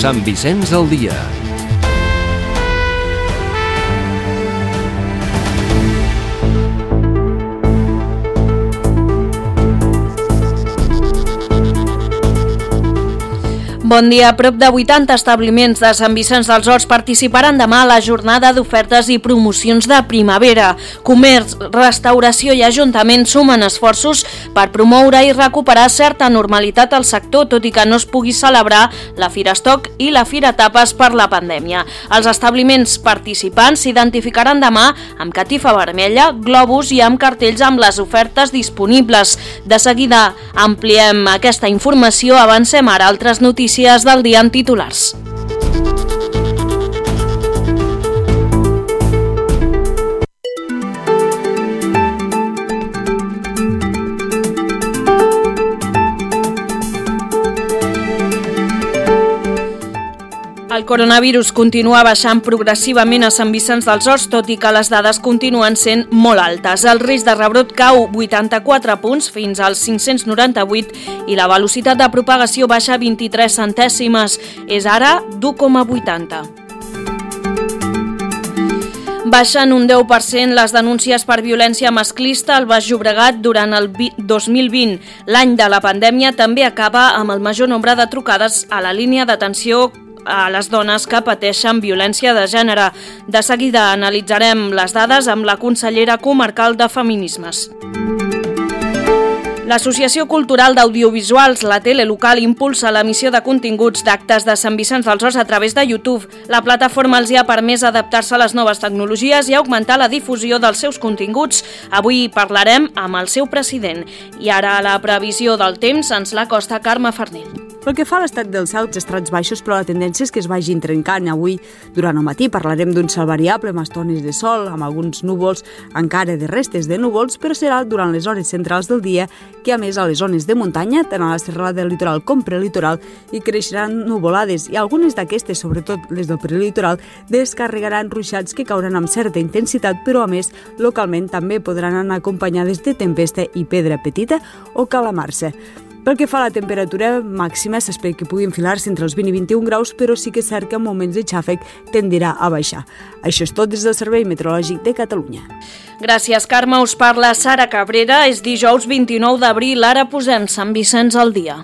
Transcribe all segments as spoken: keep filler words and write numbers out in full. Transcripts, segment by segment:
Sant Vicenç al dia. Bon dia. Prop de vuitanta establiments de Sant Vicenç dels Horts participaran demà a la jornada d'ofertes i promocions de primavera. Comerç, restauració i ajuntament sumen esforços per promoure i recuperar certa normalitat al sector, tot i que no es pugui celebrar la Fira Estoc i la Fira Tapes per la pandèmia. Els establiments participants s'identificaran demà amb catifa vermella, globus i amb cartells amb les ofertes disponibles. De seguida ampliem aquesta informació, avancem ara altres notícies del dia en titulars. El coronavirus continua baixant progressivament a Sant Vicenç dels Horts, tot i que les dades continuen sent molt altes. El risc de rebrot cau vuitanta-quatre punts fins als cinc-cents noranta-vuit i la velocitat de propagació baixa vint-i-tres centèsimes. És ara d'u coma vuitanta. Baixen un deu per cent les denúncies per violència masclista al Baix Llobregat durant el dos mil vint. L'any de la pandèmia també acaba amb el major nombre de trucades a la línia d'atenció a les dones que pateixen violència de gènere. De seguida analitzarem les dades amb la consellera comarcal de Feminismes. L'Associació Cultural d'Audiovisuals, la tele local, impulsa l'emissió de continguts d'actes de Sant Vicenç dels Horts a través de YouTube. La plataforma els hi ha permès adaptar-se a les noves tecnologies i augmentar la difusió dels seus continguts. Avui parlarem amb el seu president. I ara la previsió del temps ens l'acosta Carme Farnell. Pel que fa a l'estat del cel, els estrats baixos, però la tendència és que es vagin trencant. Avui, durant el matí, parlarem d'un cel variable amb estones de sol, amb alguns núvols, encara de restes de núvols, però serà durant les hores centrals del dia que, a més, a les zones de muntanya, tant a la serralada del litoral com prelitoral, hi creixeran nuvolades i algunes d'aquestes, sobretot les del prelitoral, descarregaran ruixats que cauran amb certa intensitat, però, a més, localment també podran anar acompanyades de tempesta i pedra petita o calamarsa. Pel que fa a la temperatura màxima, s'espera que pugui enfilar-se entre els vint i vint-i-un graus, però sí que és cert que en moments de xàfec tendirà a baixar. Això és tot des del Servei Meteorològic de Catalunya. Gràcies, Carme. Us parla Sara Cabrera. És dijous vint-i-nou d'abril. Ara posem Sant Vicenç al dia.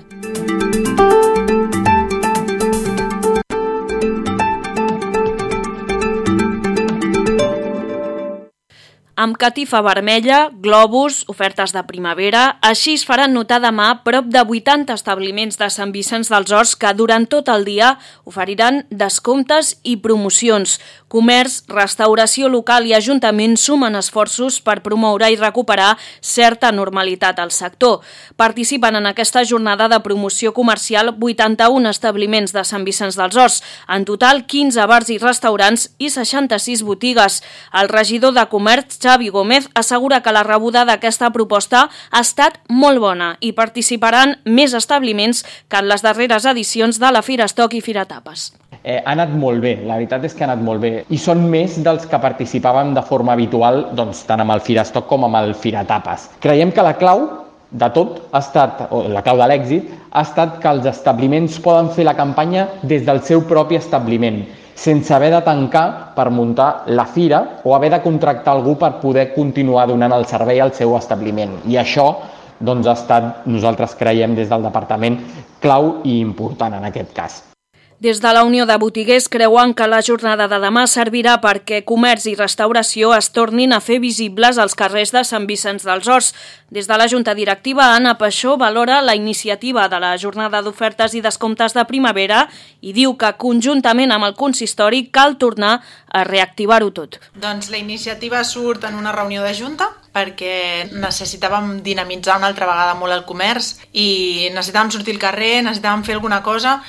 Amb catifa vermella, globus, ofertes de primavera, així es faran notar demà prop de vuitanta establiments de Sant Vicenç dels Horts que durant tot el dia oferiran descomptes i promocions. Comerç, restauració local i ajuntament sumen esforços per promoure i recuperar certa normalitat al sector. Participen en aquesta jornada de promoció comercial vuitanta-un establiments de Sant Vicenç dels Horts, en total quinze bars i restaurants i seixanta-sis botigues. El regidor de Comerç, Xavi Gómez, assegura que la rebuda d'aquesta proposta ha estat molt bona i participaran més establiments que en les darreres edicions de la Fira Estoc i Fira Tapes. Eh, ha anat molt bé, la veritat és que ha anat molt bé i són més dels que participàvem de forma habitual, doncs, tant amb el Fira Estoc com amb el Fira Tapes. Creiem que la clau de tot ha estat, o la clau de l'èxit, ha estat que els establiments poden fer la campanya des del seu propi establiment, sense haver de tancar per muntar la fira o haver de contractar algú per poder continuar donant el servei al seu establiment. I això doncs, ha estat, nosaltres creiem des del departament, clau i important en aquest cas. Des de la Unió de Botiguers creuen que la jornada de demà servirà perquè comerç i restauració es tornin a fer visibles als carrers de Sant Vicenç dels Horts. Des de la Junta Directiva, Anna Paixó valora la iniciativa de la jornada d'ofertes i descomptes de primavera i diu que conjuntament amb el consistori cal tornar a reactivar-ho tot. Doncs la iniciativa surt en una reunió de Junta perquè necessitàvem dinamitzar una altra vegada molt el comerç i necessitàvem sortir al carrer, necessitàvem fer alguna cosa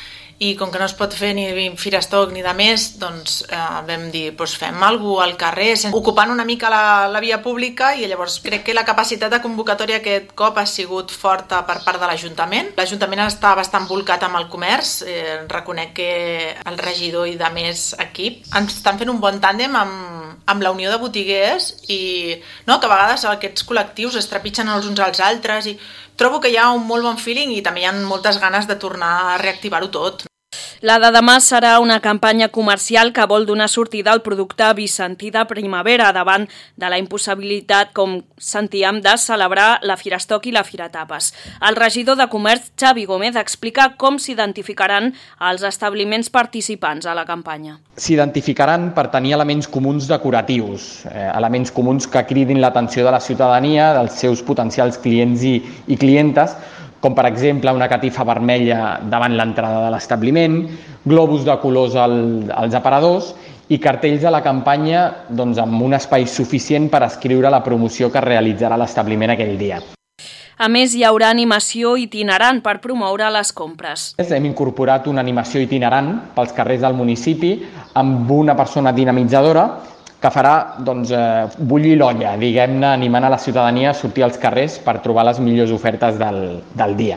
i com que no es pot fer ni Fira Estoc ni de més, doncs eh, vam dir, doncs fem alguna cosa al carrer, ocupant una mica la, la via pública i llavors crec que la capacitat de convocatòria aquest cop ha sigut forta per part de l'Ajuntament. L'Ajuntament està bastant volcat amb el comerç, eh, reconec que el regidor i de més equip ens estan fent un bon tàndem amb, amb la Unió de Botiguers i no, que a vegades aquests col·lectius es trepitgen els uns als altres i trobo que hi ha un molt bon feeling i també hi ha moltes ganes de tornar a reactivar-ho tot. La de demà serà una campanya comercial que vol donar sortida al producte vicentí de primavera davant de la impossibilitat, com sentíem, de celebrar la Firastock i la Fira Tapes. El regidor de Comerç, Xavi Gómez, explica com s'identificaran els establiments participants a la campanya. S'identificaran per tenir elements comuns decoratius, eh, elements comuns que cridin l'atenció de la ciutadania, dels seus potencials clients i, i clientes, com per exemple una catifa vermella davant l'entrada de l'establiment, globus de colors al, als aparadors i cartells a la campanya doncs, amb un espai suficient per escriure la promoció que realitzarà l'establiment aquell dia. A més, hi haurà animació itinerant per promoure les compres. Hem incorporat una animació itinerant pels carrers del municipi amb una persona dinamitzadora que farà doncs, eh, bullir l'olla, diguem-ne, animant a la ciutadania a sortir als carrers per trobar les millors ofertes del, del dia.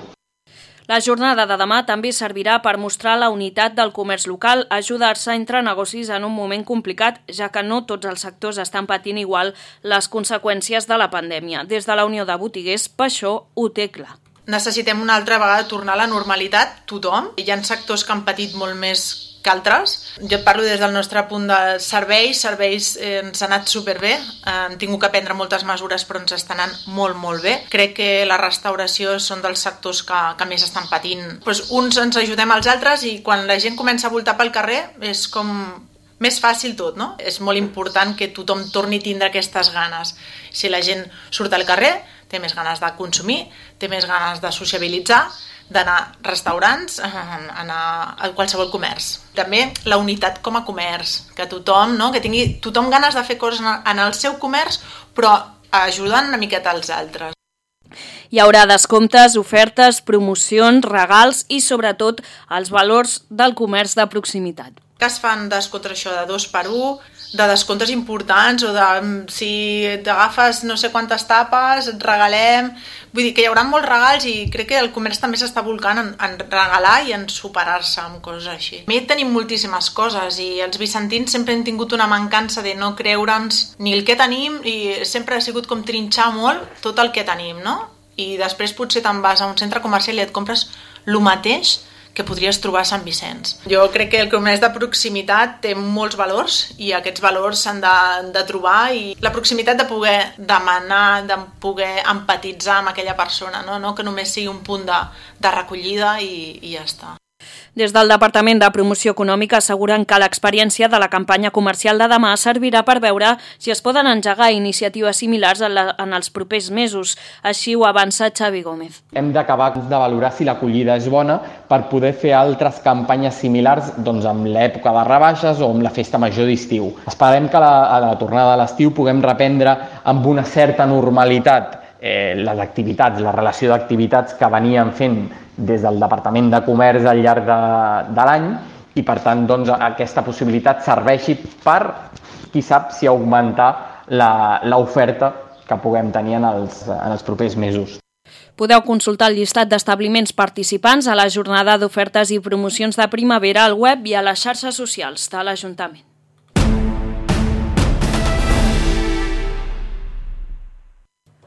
La jornada de demà també servirà per mostrar la unitat del comerç local, ajudar-se entre negocis en un moment complicat, ja que no tots els sectors estan patint igual les conseqüències de la pandèmia. Des de la Unió de Botiguers, Paixó ho té clar. Necessitem una altra vegada tornar a la normalitat, tothom. Hi ha sectors que han patit molt més que altres. Jo et parlo des del nostre punt de serveis, serveis eh, ens ha anat superbé, eh, hem tingut que prendre moltes mesures però ens estan anant molt, molt bé. Crec que la restauració són dels sectors que, que més estan patint. Pues uns ens ajudem als altres i quan la gent comença a voltar pel carrer és com més fàcil tot, no? És molt important que tothom torni a tindre aquestes ganes. Si la gent surt al carrer, té més ganes de consumir, té més ganes de sociabilitzar, d'anar a restaurants, anar a qualsevol comerç. També la unitat com a comerç, que tothom, no? que tingui tothom ganes de fer coses en el seu comerç, però ajudant una miqueta als altres. Hi haurà descomptes, ofertes, promocions, regals i, sobretot, els valors del comerç de proximitat. Que es fan descomptes això de dos per un, de descomptes importants o de si t'agafes no sé quantes tapes, et regalem... Vull dir que hi haurà molts regals i crec que el comerç també s'està volcant en, en regalar i en superar-se amb coses així. A mi tenim moltíssimes coses i els vicentins sempre hem tingut una mancança de no creure'ns ni el que tenim i sempre ha sigut com trinxar molt tot el que tenim, no? I després potser te'n vas a un centre comercial i et compres el mateix que podries trobar a Sant Vicenç. Jo crec que el comerç de proximitat té molts valors i aquests valors s'han de, de trobar i la proximitat de poder demanar, de poder empatitzar amb aquella persona, no, no que només sigui un punt de, de recollida i, i ja està. Des del Departament de Promoció Econòmica asseguren que l'experiència de la campanya comercial de demà servirà per veure si es poden engegar iniciatives similars en, la, en els propers mesos. Així ho avança Xavi Gómez. Hem d'acabar de valorar si l'acollida és bona per poder fer altres campanyes similars doncs, amb l'època de rebaixes o amb la festa major d'estiu. Esperem que a la, a la tornada de l'estiu puguem reprendre amb una certa normalitat eh, les activitats, la relació d'activitats que veníem fent des del Departament de Comerç al llarg de, de l'any i, per tant, doncs, aquesta possibilitat serveixi per, qui sap, si augmentar l'oferta que puguem tenir en els, en els propers mesos. Podeu consultar el llistat d'establiments participants a la jornada d'ofertes i promocions de primavera al web i a les xarxes socials de l'Ajuntament.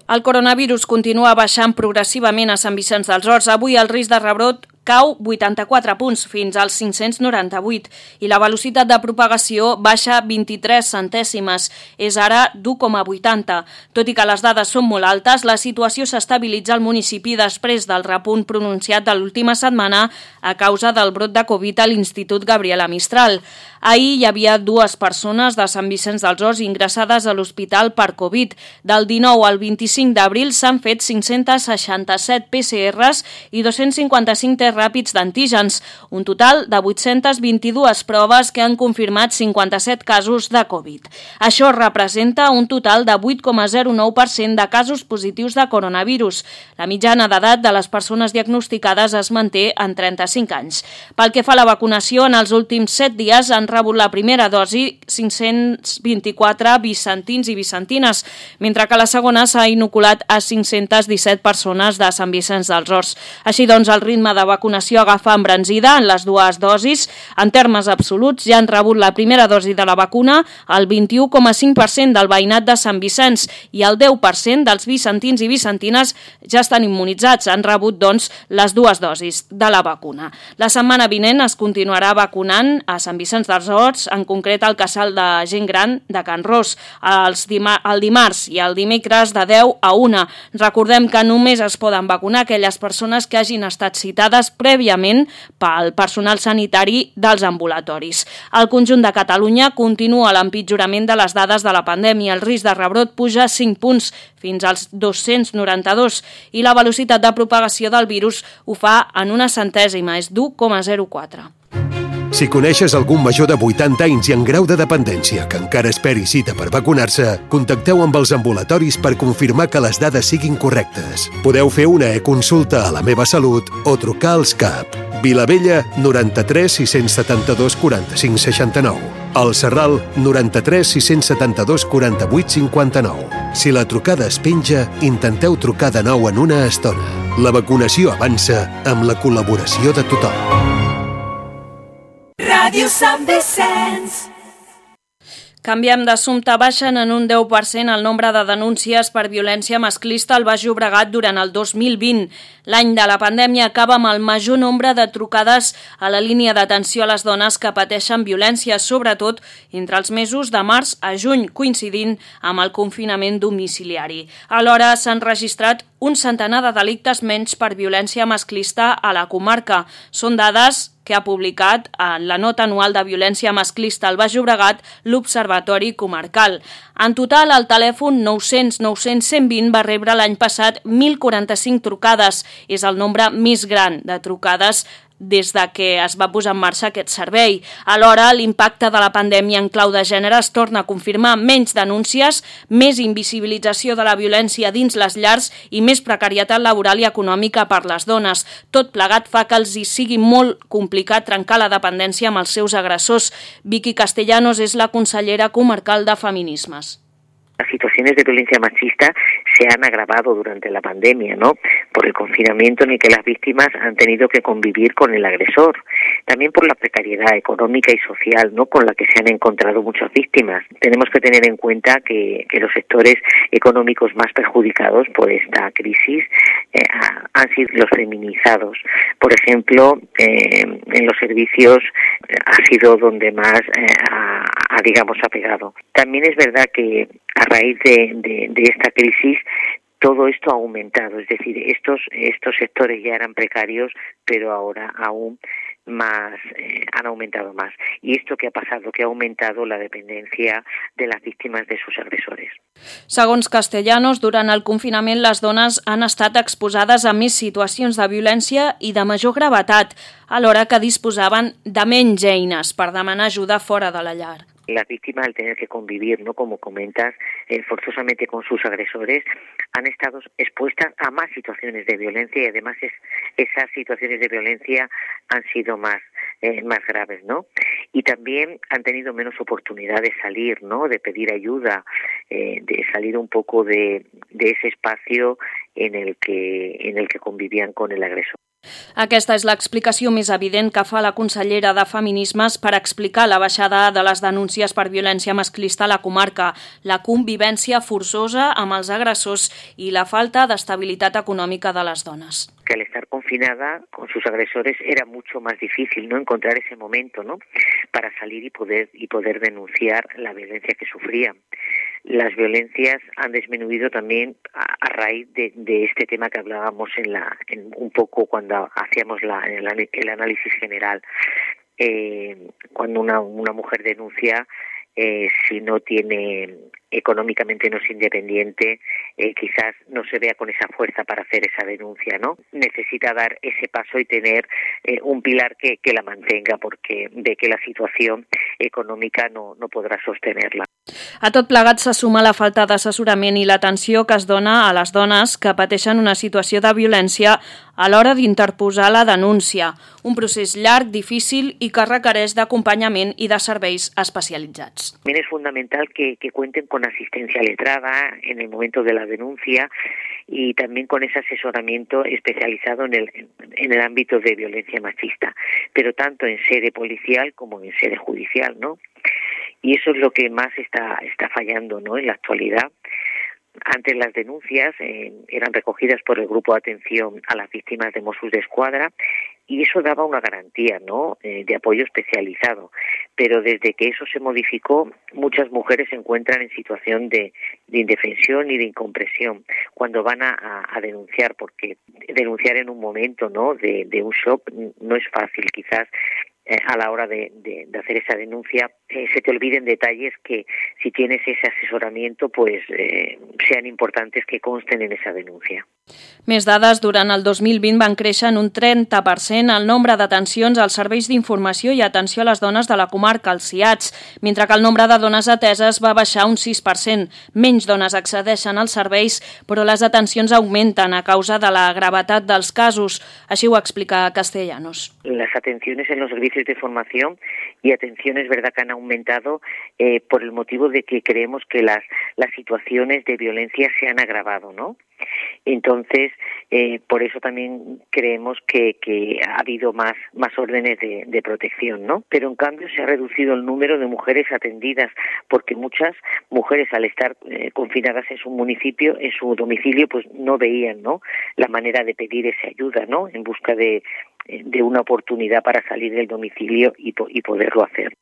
El coronavirus continua baixant progressivament a Sant Vicenç dels Horts. Avui el risc de rebrot cau vuitanta-quatre punts fins als cinc-cents noranta-vuit i la velocitat de propagació baixa vint-i-tres centèsimes, és ara d'u coma vuitanta. Tot i que les dades són molt altes, la situació s'estabilitza al municipi després del repunt pronunciat de l'última setmana a causa del brot de Covid a l'Institut Gabriela Mistral. Ahir hi havia dues persones de Sant Vicenç dels Horts ingressades a l'hospital per Covid. Del dinou al vint-i-cinc d'abril s'han fet cinc-cents seixanta-set P C Rs i dos-cents cinquanta-cinc tests ràpids d'antígens, un total de vuit-centes vint-i-dues proves que han confirmat cinquanta-set casos de Covid. Això representa un total de vuit coma zero nou per cent de casos positius de coronavirus. La mitjana d'edat de les persones diagnosticades es manté en trenta-cinc anys. Pel que fa a la vacunació, en els últims set dies han rebut la primera dosi cinc-cents vint-i-quatre vicentins i vicentines, mentre que la segona s'ha inoculat a cinc-centes disset persones de Sant Vicenç dels Horts. Així doncs, el ritme de vacunació vacunació agafa embranzida en les dues dosis. En termes absoluts, ja han rebut la primera dosi de la vacuna el vint-i-u coma cinc per cent del veïnat de Sant Vicenç i el deu per cent dels vicentins i vicentines ja estan immunitzats. Han rebut, doncs, les dues dosis de la vacuna. La setmana vinent es continuarà vacunant a Sant Vicenç dels Horts, en concret al casal de gent gran de Can Ros, els dima- el dimarts i el dimecres de deu a una. Recordem que només es poden vacunar aquelles persones que hagin estat citades prèviament pel personal sanitari dels ambulatoris. Al conjunt de Catalunya continua l'empitjorament de les dades de la pandèmia. El risc de rebrot puja cinc punts fins als dos-cents noranta-dos i la velocitat de propagació del virus ho fa en una centèsima, és d'u coma zero quatre. Si coneixes algun major de vuitanta anys i en grau de dependència que encara esperi cita per vacunar-se, contacteu amb els ambulatoris per confirmar que les dades siguin correctes. Podeu fer una e-consulta a La Meva Salut o trucar als C A P. Vilavella, noranta-tres sis-cents setanta-dos quaranta-cinc seixanta-nou. El Serral, noranta-tres sis-cents setanta-dos quaranta-vuit cinquanta-nou. Si la trucada es penja, intenteu trucar de nou en una estona. La vacunació avança amb la col·laboració de tothom. Ràdio Sant Vicenç. Canviem d'assumpte. Baixen en un deu per cent el nombre de denúncies per violència masclista al Baix Llobregat durant el dos mil vint. L'any de la pandèmia acaba amb el major nombre de trucades a la línia d'atenció a les dones que pateixen violència, sobretot entre els mesos de març a juny, coincidint amb el confinament domiciliari. Alhora s'han registrat un centenar de delictes menys per violència masclista a la comarca. Són dades que ha publicat en la nota anual de violència masclista al Baix Llobregat l'Observatori Comarcal. En total, el telèfon nou-cents nou-cents cent vint va rebre l'any passat mil quaranta-cinc trucades. És el nombre més gran de trucades des de que es va posar en marxa aquest servei. Alhora, l'impacte de la pandèmia en clau de gènere es torna a confirmar: menys denúncies, més invisibilització de la violència dins les llars i més precarietat laboral i econòmica per les dones. Tot plegat fa que els hi sigui molt complicat trencar la dependència amb els seus agressors. Vicky Castellanos és la consellera comarcal de Feminismes. Las situaciones de violencia machista se han agravado durante la pandemia, ¿no? Por el confinamiento en el que las víctimas han tenido que convivir con el agresor. También por la precariedad económica y social, ¿no?, con la que se han encontrado muchas víctimas. Tenemos que tener en cuenta que, que los sectores económicos más perjudicados por esta crisis eh, han sido los feminizados. Por ejemplo, eh, en los servicios eh, ha sido donde más eh, ha, ha, digamos, ha pegado. También es verdad que a raíz de, de, de esta crisis todo esto ha aumentado, es decir, estos estos sectores ya eran precarios, pero ahora aún más eh, han aumentado más. Y esto que ha pasado, que ha aumentado la dependencia de las víctimas de sus agresores. Segons Castellanos, durant el confinament les dones han estat exposades a més situacions de violència i de major gravetat, alhora que disposaven de menys eines per demanar ajuda fora de la llar. Las víctimas, al tener que convivir, ¿no?, como comentas, eh, forzosamente con sus agresores, han estado expuestas a más situaciones de violencia y además es, esas situaciones de violencia han sido más eh, más graves, ¿no? Y también han tenido menos oportunidad de salir, ¿no?, de pedir ayuda, eh, de salir un poco de, de ese espacio en el que en el que convivían con el agresor. Aquesta és l'explicació més evident que fa la consellera de Feminismes per explicar la baixada de les denúncies per violència masclista a la comarca, la convivència forçosa amb els agressors i la falta d'estabilitat econòmica de les dones. Que al estar confinada con sus agresores era mucho más difícil, ¿no?, encontrar ese momento, ¿no?, para salir y poder y poder denunciar la violencia que sufrían. Las violencias han disminuido también a, a raíz de, de este tema que hablábamos en la en un poco cuando hacíamos la, el, el análisis general. Eh, cuando una, una mujer denuncia, eh, si no tiene económicamente no es independiente, eh, quizás no se vea con esa fuerza para hacer esa denuncia, ¿no? Necesita dar ese paso y tener eh, un pilar que, que la mantenga, porque ve que la situación econòmica no, no podrà sostenerla. A tot plegat se suma la falta d'assessorament i l'atenció que es dona a les dones que pateixen una situació de violència a l'hora d'interposar la denúncia, un procés llarg, difícil i que requereix d'acompanyament i de serveis especialitzats. También es fundamental que, que cuenten con con asistencia letrada en el momento de la denuncia y también con ese asesoramiento especializado en el, en el ámbito de violencia machista, pero tanto en sede policial como en sede judicial, ¿no? Y eso es lo que más está, está fallando, ¿no?, en la actualidad. Antes las denuncias eh, eran recogidas por el Grupo de Atención a las Víctimas de Mossos d'Esquadra y eso daba una garantía, ¿no?, eh, de apoyo especializado. Pero desde que eso se modificó, muchas mujeres se encuentran en situación de, de indefensión y de incompresión cuando van a, a, a denunciar, porque denunciar en un momento, ¿no?, de, de un shock no es fácil. Quizás eh, a la hora de, de, de hacer esa denuncia eh, se te olviden detalles que, si tienes ese asesoramiento, pues eh, sean importantes que consten en esa denuncia. Més dades, durant el dos mil vint van créixer en un trenta per cent el nombre d'atencions als serveis d'informació i atenció a les dones de la comarca, els C I A Ts, mentre que el nombre de dones ateses va baixar un sis per cent. Menys dones accedeixen als serveis, però les atencions augmenten a causa de la gravetat dels casos. Així ho explica Castellanos. Las atenciones en los servicios de formación y atención es verdad que han aumentado eh, por el motivo de que creemos que las, las situaciones de violencia se han agravado, ¿no? Entonces, eh, por eso también creemos que, que ha habido más, más órdenes de, de protección, ¿no? Pero en cambio se ha reducido el número de mujeres atendidas, porque muchas mujeres, al estar eh, confinadas en su municipio, en su domicilio, pues no veían, ¿no?, la manera de pedir esa ayuda, ¿no?, en busca de, de una oportunidad para salir del domicilio y, y poderlo hacer.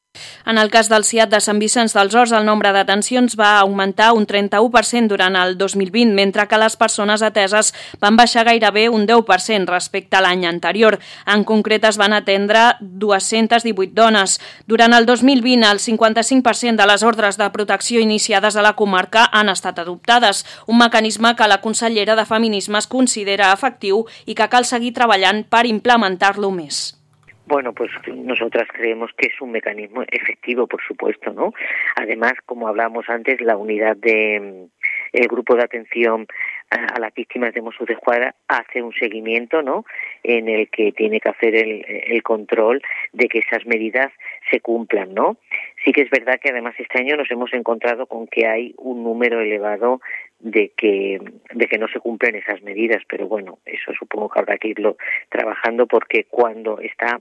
En el cas del C I A T de Sant Vicenç dels Horts, el nombre d'atencions va augmentar un trenta-u per cent durant el dos mil vint, mentre que les persones ateses van baixar gairebé un deu per cent respecte a l'any anterior. En concret, es van atendre dues-centes divuit dones. Durant el dos mil vint, el cinquanta-cinc per cent de les ordres de protecció iniciades a la comarca han estat adoptades, un mecanisme que la consellera de Feminismes considera efectiu i que cal seguir treballant per implementar-lo més. Bueno, pues nosotras creemos que es un mecanismo efectivo, por supuesto, ¿no? Además, como hablábamos antes, la unidad de el grupo de atención a, a las víctimas de Mossos d'Esquadra hace un seguimiento, ¿no?, en el que tiene que hacer el, el control de que esas medidas se cumplan, ¿no? Sí que es verdad que además este año nos hemos encontrado con que hay un número elevado de que de que no se cumplen esas medidas, pero bueno, eso supongo que habrá que irlo trabajando, porque cuando está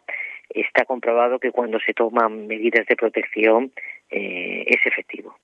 está comprobado que cuando se toman medidas de protección eh, es efectivo.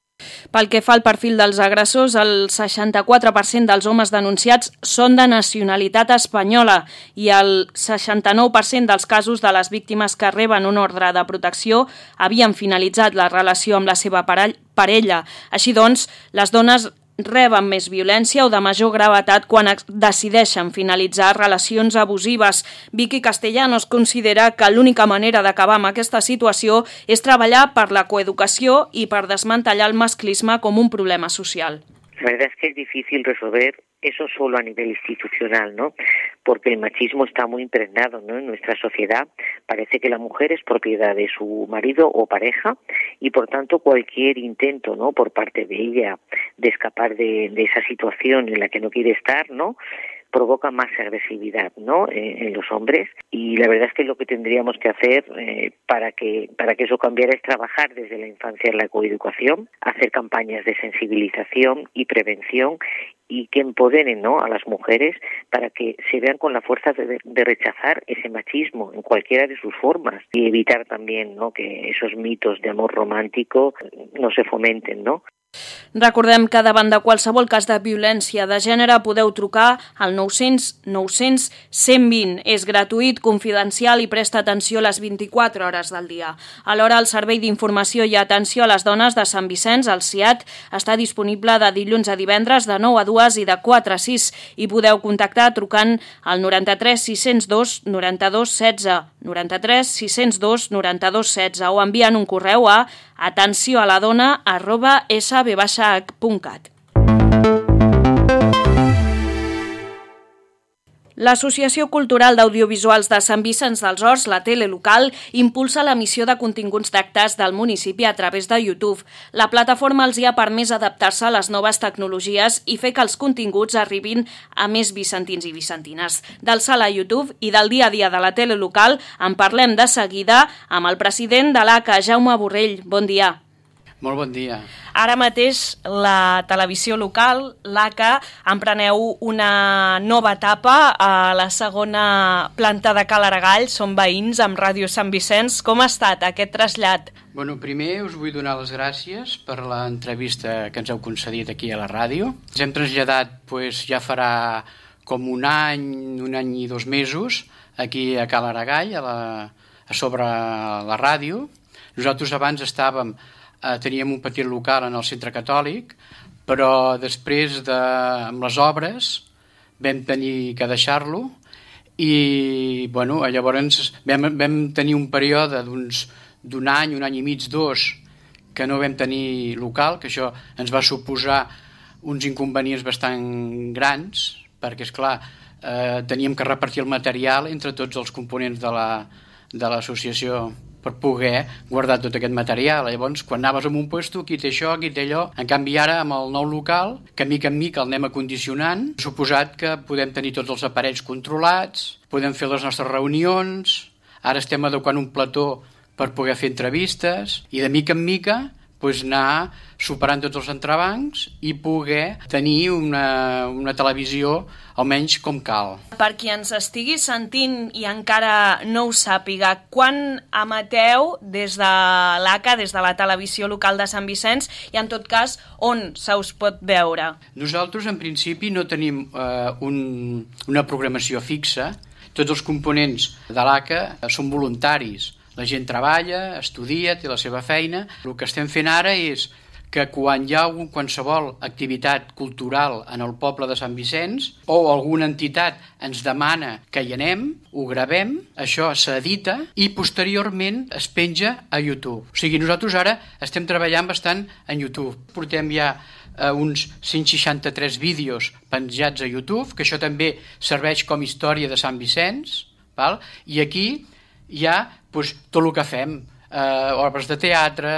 Pel que fa al perfil dels agressors, el seixanta-quatre per cent dels homes denunciats són de nacionalitat espanyola i el seixanta-nou per cent dels casos de les víctimes que reben un ordre de protecció havien finalitzat la relació amb la seva parella. Així doncs, les dones reben més violència o de major gravetat quan decideixen finalitzar relacions abusives. Vicky Castellanos considera que l'única manera d'acabar amb aquesta situació és treballar per la coeducació i per desmantellar el masclisme com un problema social. La verdad es que es difícil resolver eso solo a nivel institucional, ¿no? Porque el machismo está muy impregnado, ¿no?, en nuestra sociedad. Parece que la mujer es propiedad de su marido o pareja y, por tanto, cualquier intento, ¿no?, por parte de ella de escapar de, de esa situación en la que no quiere estar, ¿no?, provoca más agresividad, ¿no?, eh, en los hombres. Y la verdad es que lo que tendríamos que hacer eh, para que para que eso cambiara es trabajar desde la infancia en la coeducación, hacer campañas de sensibilización y prevención y que empoderen, ¿no?, a las mujeres para que se vean con la fuerza de, de rechazar ese machismo en cualquiera de sus formas y evitar también, ¿no?, que esos mitos de amor romántico no se fomenten, ¿no? Recordem que davant de qualsevol cas de violència de gènere podeu trucar al nou-cents nou-cents cent vint. És gratuït, confidencial i presta atenció les vint-i-quatre hores del dia. Alhora, el Servei d'Informació i Atenció a les Dones de Sant Vicenç, el C I A T, està disponible de dilluns a divendres de nou a dues i de quatre a sis i podeu contactar trucant al noranta-tres sis-cents dos noranta-dos setze, noranta-tres sis-cents dos noranta-dos setze o enviant un correu a atencioaladona arroba s b h punt cat. L'Associació Cultural d'Audiovisuals de Sant Vicenç dels Horts, la tele local, impulsa l'emissió de continguts d'actes del municipi a través de YouTube. La plataforma els hi ha permès adaptar-se a les noves tecnologies i fer que els continguts arribin a més vicentins i vicentines. Del sala a YouTube i del dia a dia de la tele local en parlem de seguida amb el president de l'A C A, Jaume Borrell. Bon dia. Molt bon dia. Ara mateix la televisió local, l'A C A, empreneu una nova etapa a la segona planta de Cal Aragall. Som veïns amb Ràdio Sant Vicenç. Com ha estat aquest trasllat? Bueno, primer us vull donar les gràcies per l'entrevista que ens heu concedit aquí a la ràdio. Ens hem traslladat, pues, ja farà com un any, un any i dos mesos, aquí a Cal Aragall, a, la, a sobre la ràdio. Nosaltres abans estàvem, eh, teníem un petit local en el centre catòlic, però després de, amb les obres vam tenir que deixar-lo i bueno, llavors vam, vam tenir un període d'uns d'un any, un any i mig, dos, que no vam tenir local, que això ens va suposar uns inconvenients bastant grans, perquè, esclar, eh, teníem que repartir el material entre tots els components de la, de l'associació per poder guardar tot aquest material. Llavors, quan anaves a un puesto, qui té això, qui té allò. En canvi, ara, amb el nou local, que mica en mica el anem acondicionant, ha suposat que podem tenir tots els aparells controlats, podem fer les nostres reunions, ara estem adequant un plató per poder fer entrevistes i de mica en mica pues, anar superant tots els entrebancs i poder tenir una, una televisió almenys com cal. Per qui ens estigui sentint i encara no ho sàpiga, quan emeteu des de l'A C A, des de la televisió local de Sant Vicenç, i en tot cas on se us pot veure? Nosaltres en principi no tenim eh, un, una programació fixa. Tots els components de l'A C A són voluntaris. La gent treballa, estudia, té la seva feina. El que estem fent ara és que quan hi ha un, qualsevol activitat cultural en el poble de Sant Vicenç o alguna entitat ens demana que hi anem, ho gravem, això s'edita i posteriorment es penja a YouTube. O sigui, nosaltres ara estem treballant bastant en YouTube. Portem ja eh, uns cent seixanta-tres vídeos penjats a YouTube, que això també serveix com història de Sant Vicenç, val? I aquí hi ha pues, tot el que fem, eh, obres de teatre,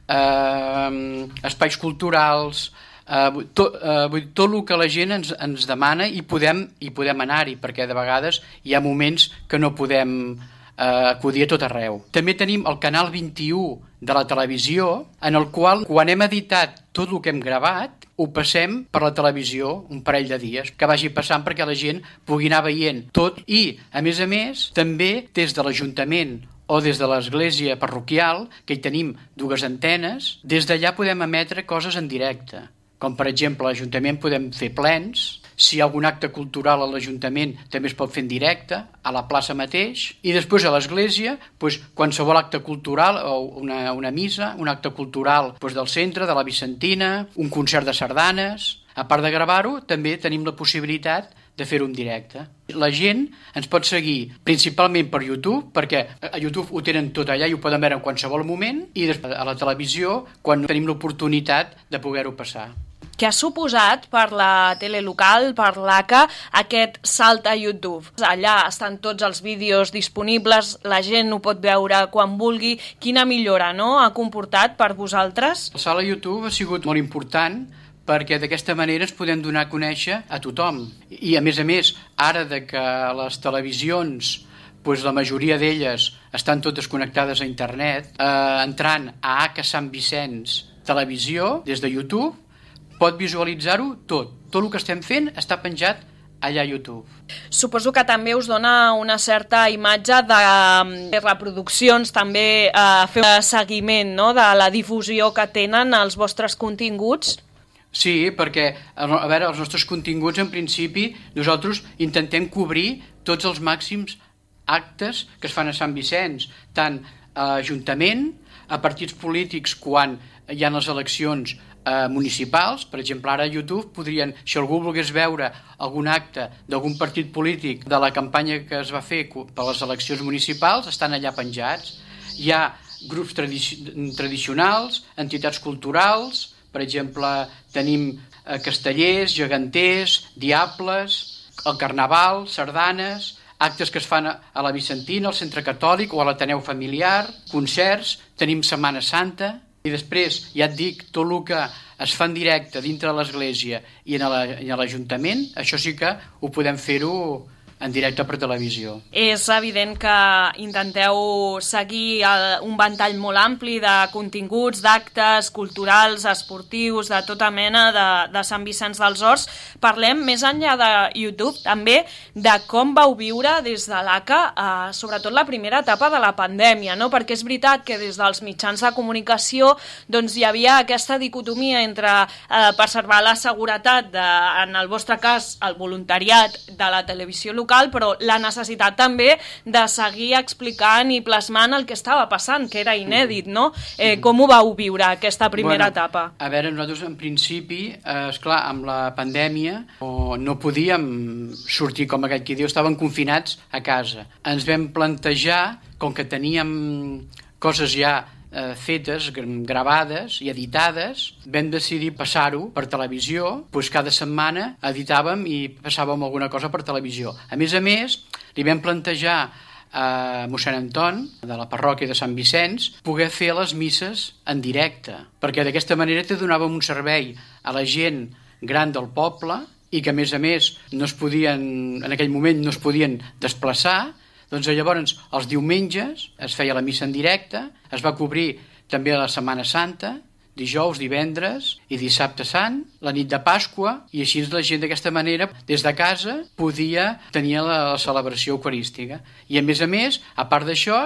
eh, espais culturals, eh, tot, eh, tot el que la gent ens, ens demana i podem, i podem anar-hi, perquè de vegades hi ha moments que no podem eh, acudir a tot arreu. També tenim el canal vint-i-u de la televisió, en el qual, quan hem editat tot el que hem gravat, ho passem per la televisió un parell de dies, que vagi passant perquè la gent pugui anar veient tot. I, a més a més, també des de l'Ajuntament o des de l'església parroquial, que hi tenim dues antenes, des d'allà podem emetre coses en directe. Com, per exemple, a l'Ajuntament podem fer plens, si hi ha algun acte cultural a l'Ajuntament també es pot fer en directe, a la plaça mateix, i després a l'església, doncs, qualsevol acte cultural, o una, una missa, un acte cultural doncs, del centre, de la Vicentina, un concert de sardanes. A part de gravar-ho, també tenim la possibilitat de fer-ho en directe. La gent ens pot seguir principalment per YouTube, perquè a YouTube ho tenen tot allà i ho poden veure en qualsevol moment, i després a la televisió quan tenim l'oportunitat de poder-ho passar. Què ha suposat per la tele local, per l'A C A, aquest salt a YouTube? Allà estan tots els vídeos disponibles, la gent ho pot veure quan vulgui. Quina millora, no?, ha comportat per vosaltres? El salt a YouTube ha sigut molt important perquè d'aquesta manera ens podem donar a conèixer a tothom. I a més a més, ara de que les televisions, doncs la majoria d'elles estan totes connectades a internet, eh, entrant a A C A Sant Vicenç Televisió, des de YouTube, pot visualitzar-ho tot. Tot el que estem fent està penjat allà a YouTube. Suposo que també us dona una certa imatge de, de reproduccions, també eh, fer un seguiment, no?, de la difusió que tenen els vostres continguts. Sí, perquè a veure, els nostres continguts, en principi, nosaltres intentem cobrir tots els màxims actes que es fan a Sant Vicenç, tant a l'Ajuntament, a partits polítics quan hi ha les eleccions eh, municipals. Per exemple, ara a YouTube podrien, si algú volgués veure algun acte d'algun partit polític de la campanya que es va fer per les eleccions municipals, estan allà penjats. Hi ha grups tradici tradicionals, entitats culturals. Per exemple, tenim eh, castellers, geganters, diables, el carnaval, sardanes, actes que es fan a, a la Vicentina, al Centre Catòlic o a l'Ateneu Familiar, concerts, tenim Setmana Santa, i després, ja et dic, tot el que es fa en directe dintre de l'església i en l'Ajuntament, això sí que ho podem fer-ho en directe per televisió. És evident que intenteu seguir un ventall molt ampli de continguts, d'actes culturals, esportius, de tota mena de, de Sant Vicenç dels Horts. Parlem més enllà de YouTube també de com vau viure des de l'A C A, eh, sobretot la primera etapa de la pandèmia, no? Perquè és veritat que des dels mitjans de comunicació doncs, hi havia aquesta dicotomia entre eh, preservar la seguretat, de, en el vostre cas, el voluntariat de la televisió local, però la necessitat també de seguir explicant i plasmant el que estava passant, que era inèdit, no? Eh, com ho vau viure, aquesta primera bueno, etapa? A veure, nosaltres en principi, eh, esclar, amb la pandèmia no podíem sortir, com aquell qui diu, estàvem confinats a casa. Ens vam plantejar, com que teníem coses ja Eh, fetes, gravades i editades, vam decidir passar-ho per televisió, doncs cada setmana editàvem i passàvem alguna cosa per televisió. A més a més, li vam plantejar a mossèn Anton, de la parròquia de Sant Vicenç, poder fer les misses en directe, perquè d'aquesta manera te donàvem un servei a la gent gran del poble i que a més a més no es podien, en aquell moment no es podien desplaçar. Doncs llavors els diumenges es feia la missa en directe, es va cobrir també la Setmana Santa, dijous, divendres i dissabte sant, la nit de Pasqua, i així la gent d'aquesta manera, des de casa, podia tenir la, la celebració eucarística. I a més a més, a part d'això,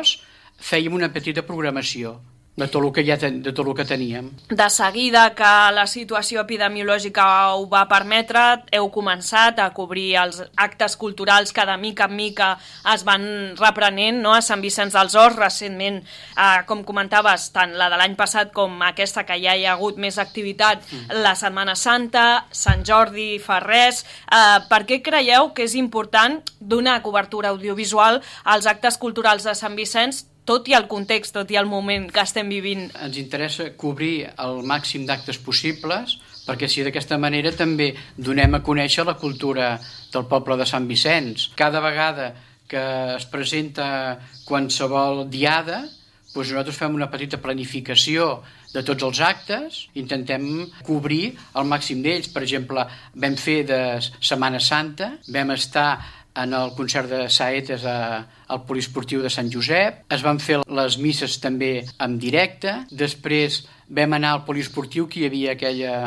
fèiem una petita programació de tot el que ja ten, de tot el que teníem. De seguida que la situació epidemiològica ho va permetre, heu començat a cobrir els actes culturals que de mica en mica es van reprenent, no? A Sant Vicenç dels Horts, recentment, eh, com comentaves, tant la de l'any passat com aquesta, que ja hi ha hagut més activitat, mm. la Setmana Santa, Sant Jordi, Ferrers. Eh, per què creieu que és important donar cobertura audiovisual als actes culturals de Sant Vicenç, tot i el context, tot i el moment que estem vivint? Ens interessa cobrir el màxim d'actes possibles, perquè si d'aquesta manera també donem a conèixer la cultura del poble de Sant Vicenç. Cada vegada que es presenta qualsevol diada, doncs nosaltres fem una petita planificació de tots els actes, intentem cobrir el màxim d'ells. Per exemple, vam fer de Setmana Santa, vam estar en el concert de Saetes al poliesportiu de Sant Josep, es van fer les misses també en directe, després vam anar al poliesportiu, que hi havia aquella,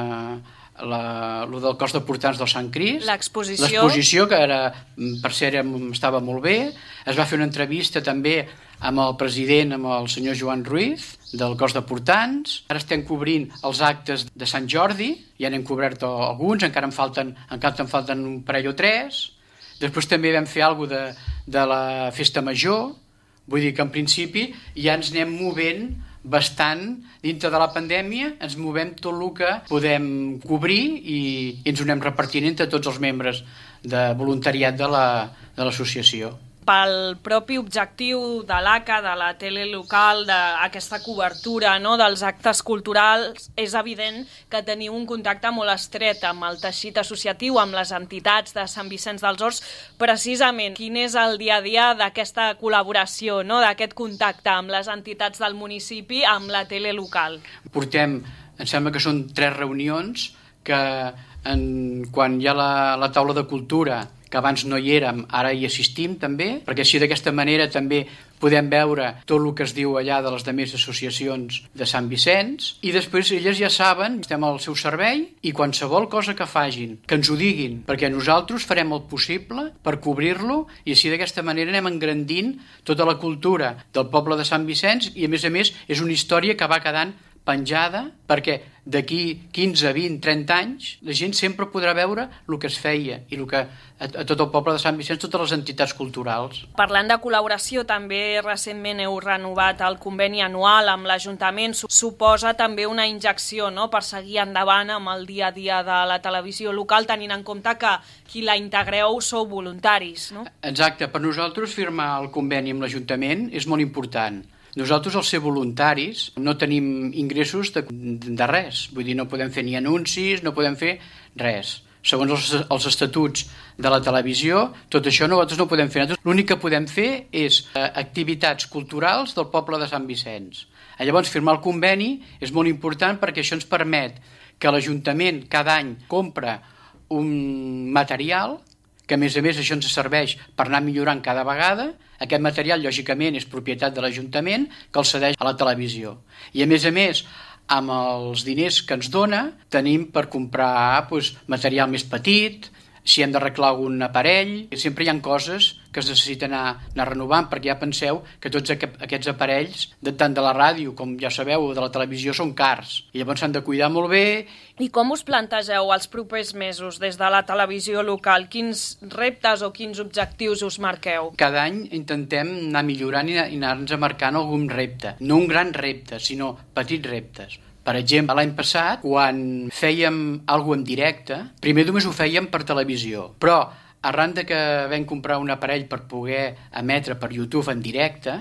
la, lo del cos de portants del Sant Crist, l'exposició, l'exposició que era, per cert estava molt bé, es va fer una entrevista també amb el president, amb el senyor Joan Ruiz, del cos de portants. Ara estem cobrint els actes de Sant Jordi, ja n'hem cobert alguns, encara en falten, encara en falten un parell o tres. Després també vam fer alguna cosa de, de la Festa Major, vull dir que en principi ja ens anem movent bastant dintre de la pandèmia, ens movem tot el que podem cobrir i, i ens ho anem repartint entre tots els membres de voluntariat de la, de l'associació. Pel propi objectiu de l'A C A, de la tele local, d'aquesta cobertura, no?, dels actes culturals, és evident que teniu un contacte molt estret amb el teixit associatiu, amb les entitats de Sant Vicenç dels Horts. Precisament, quin és el dia a dia d'aquesta col·laboració, no?, d'aquest contacte amb les entitats del municipi, amb la tele local? Portem, em sembla que són tres reunions, que en, quan hi ha la, la taula de cultura, que abans no hi érem, ara hi assistim també, perquè així d'aquesta manera també podem veure tot el que es diu allà de les demés associacions de Sant Vicenç, i després elles ja saben, estem al seu servei, i qualsevol cosa que fagin, que ens ho diguin, perquè nosaltres farem el possible per cobrir-lo, i així d'aquesta manera anem engrandint tota la cultura del poble de Sant Vicenç, i a més a més és una història que va quedant penjada, perquè d'aquí quinze, vint, trenta anys la gent sempre podrà veure el que es feia i el que a, a tot el poble de Sant Vicenç, totes les entitats culturals. Parlant de col·laboració, també recentment heu renovat el conveni anual amb l'Ajuntament. Suposa també una injecció, no?, per seguir endavant amb el dia a dia de la televisió local, tenint en compte que qui la integreu sou voluntaris, no? Exacte, per nosaltres firmar el conveni amb l'Ajuntament és molt important. Nosaltres, al ser voluntaris, no tenim ingressos de, de res. Vull dir, no podem fer ni anuncis, no podem fer res. Segons els, els estatuts de la televisió, tot això nosaltres no podem fer. L'únic que podem fer és eh, activitats culturals del poble de Sant Vicenç. Llavors, firmar el conveni és molt important perquè això ens permet que l'Ajuntament cada any compra un material que a més a més això ens serveix per anar millorant cada vegada. Aquest material, lògicament, és propietat de l'Ajuntament, que el cedeix a la televisió. I a més a més, amb els diners que ens dona, tenim per comprar doncs, material més petit, si hem d'arreglar algun aparell. Sempre hi ha coses que es necessiten anar, anar renovant, perquè ja penseu que tots aquests aparells, tant de la ràdio com ja sabeu de la televisió, són cars. I llavors s'han de cuidar molt bé. I com us plantegeu els propers mesos des de la televisió local? Quins reptes o quins objectius us marqueu? Cada any intentem anar millorant i anar-nos marcant algun repte. No un gran repte, sinó petits reptes. Per exemple, l'any passat, quan fèiem alguna cosa en directe, primer només ho fèiem per televisió, però arran de que vam comprar un aparell per poder emetre per YouTube en directe,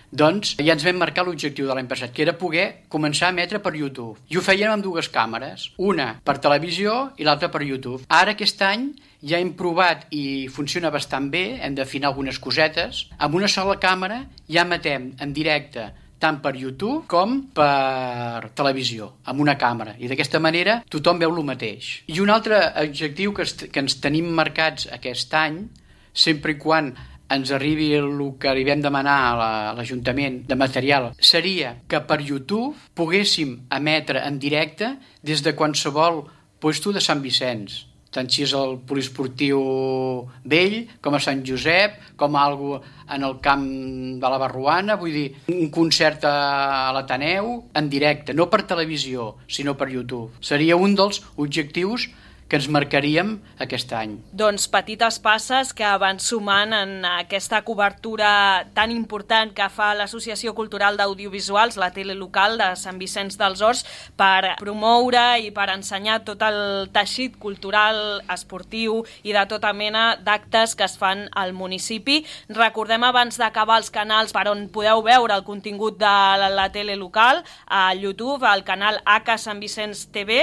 doncs ja ens vam marcar l'objectiu de l'any passat, que era poder començar a emetre per YouTube. I ho fèiem amb dues càmeres, una per televisió i l'altra per YouTube. Ara, aquest any, ja hem provat i funciona bastant bé, hem d'afinar algunes cosetes. Amb una sola càmera ja emetem en directe tant per YouTube com per televisió, amb una càmera. I d'aquesta manera tothom veu el mateix. I un altre objectiu que, que ens tenim marcats aquest any, sempre i quan ens arribi el que li vam demanar a l'Ajuntament de material, seria que per YouTube poguéssim emetre en directe des de qualsevol lloc de Sant Vicenç, tant si és el poliesportiu vell, com a Sant Josep, com a algo en el camp de la Barruana, vull dir, un concert a l'Ateneu en directe, no per televisió, sinó per YouTube. Seria un dels objectius que ens marcaríem aquest any. Doncs petites passes que van sumant en aquesta cobertura tan important que fa l'Associació Cultural d'Audiovisuals, la tele local de Sant Vicenç dels Horts, per promoure i per ensenyar tot el teixit cultural, esportiu i de tota mena d'actes que es fan al municipi. Recordem abans d'acabar els canals per on podeu veure el contingut de la tele local, a YouTube, al canal H Sant Vicenç T V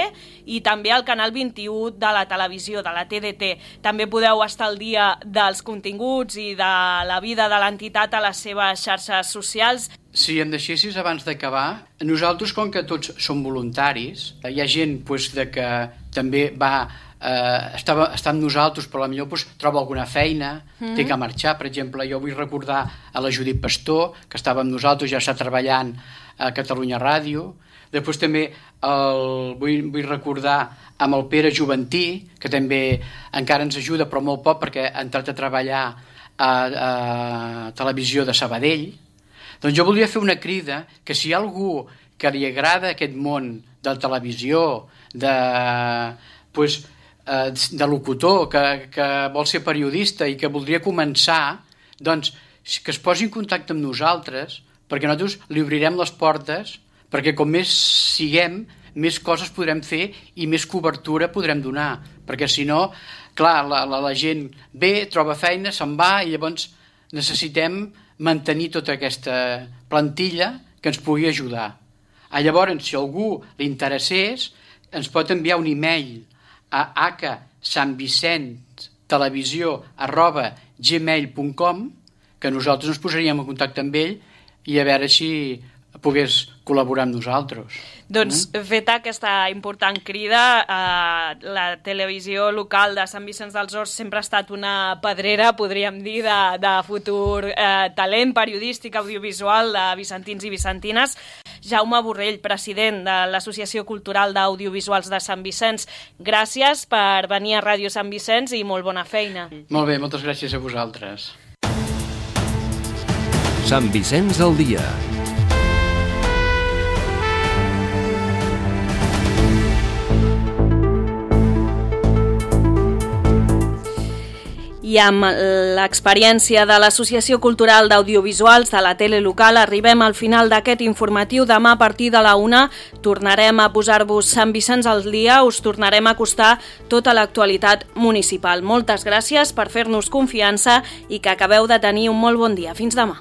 i també al canal vint-i-u de la televisió, de la T D T. També podeu estar al dia dels continguts i de la vida de l'entitat a les seves xarxes socials. Si em deixessis abans d'acabar, nosaltres, com que tots som voluntaris, hi ha gent pues, de que també va eh, està, està amb nosaltres, però potser pues, troba alguna feina, mm. té que marxar. Per exemple, jo vull recordar a la Judit Pastor, que estava amb nosaltres, ja està treballant a Catalunya Ràdio. Després també el, vull, vull recordar amb el Pere Juventí, que també encara ens ajuda, però molt poc, perquè ha entrat a treballar a, a Televisió de Sabadell. Doncs jo voldria fer una crida que si hi ha algú que li agrada aquest món de la televisió, de, pues, de locutor, que, que vol ser periodista i que voldria començar, doncs que es posi en contacte amb nosaltres, perquè nosaltres li obrirem les portes, perquè com més siguem, més coses podrem fer i més cobertura podrem donar. Perquè si no, clar, la, la, la gent ve, troba feina, se'n va i llavors necessitem mantenir tota aquesta plantilla que ens pugui ajudar. Ah, llavors, si algú li interessés, ens pot enviar un e-mail a h santvicent televisió arroba gmail punt com, que nosaltres ens posaríem en contacte amb ell i a veure si pogués col·laborar amb nosaltres. Doncs mm? feta aquesta important crida, eh, la televisió local de Sant Vicenç dels Horts sempre ha estat una pedrera, podríem dir, de, de futur eh, talent periodístic audiovisual de vicentins i vicentines. Jaume Borrell, president de l'Associació Cultural d'Audiovisuals de Sant Vicenç, gràcies per venir a Ràdio Sant Vicenç i molt bona feina. Molt bé, moltes gràcies a vosaltres. Sant Vicenç al dia. I amb l'experiència de l'Associació Cultural d'Audiovisuals de la tele local arribem al final d'aquest informatiu. Demà a partir de la una tornarem a posar-vos Sant Vicenç al dia, us tornarem a acostar tota l'actualitat municipal. Moltes gràcies per fer-nos confiança i que acabeu de tenir un molt bon dia. Fins demà.